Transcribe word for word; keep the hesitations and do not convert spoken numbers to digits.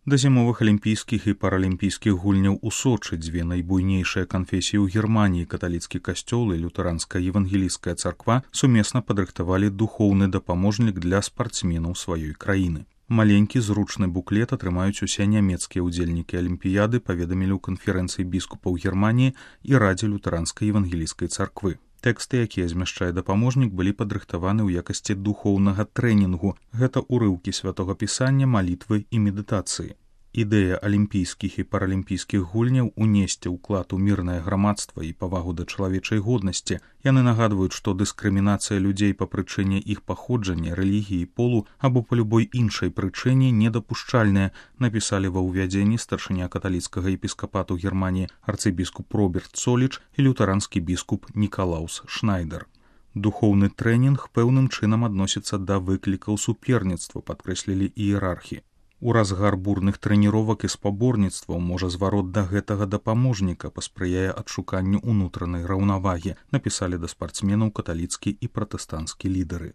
Да зімовых алімпійскіх і паралімпійскіх гульняў у Сочы дзве найбуйнейшыя канфесіі ў Германіі, каталіцкі касцёл і лютэранская евангелійская царква, сумесна падрыхтавалі духоўны дапаможнік для спартсменаў сваёй краіны. Маленькі зручны буклет атрымаюць усе нямецкія ўдзельнікі алімпіяды, паведамілі ў канферэнцыі біскупаў Германіі і радзе лютэранскай евангелійскай царквы. Тэксты, якія змяшчае дапаможнік, былі падрыхтаваны ў якасці духоўнага трэнінгу. Гэта ўрыўкі святога пісання, малітвы і медытацыі. Ідэя алімпійскіх і паралімпійскіх гульняў унесці ўклад у мірнае грамадства і павагу да чалавечай годнасці. Яны нагадваюць, што дыскрымінацыя людзей па прычыне іх паходжання, рэлігіі, полу або па любой іншай прычыне недапушчальная, напісалі ва ўвядзенні старшыня каталіцкага епіскапату Германіі арцыбіскуп Роберт Цоліч і лютаранскі біскуп Нікалаус Шнайдер. Духоўны трэнінг пэўным чынам адносіцца да выклікаў суперніцтва, падкрэслілі іерархі. У разгар бурных трэніровак і спаборніцтваў можа зварот да гэтага дапаможніка паспрыяе адшуканню ўнутранай раўнавагі, напісалі да спартсменаў каталіцкі і пратэстанцкі лідары.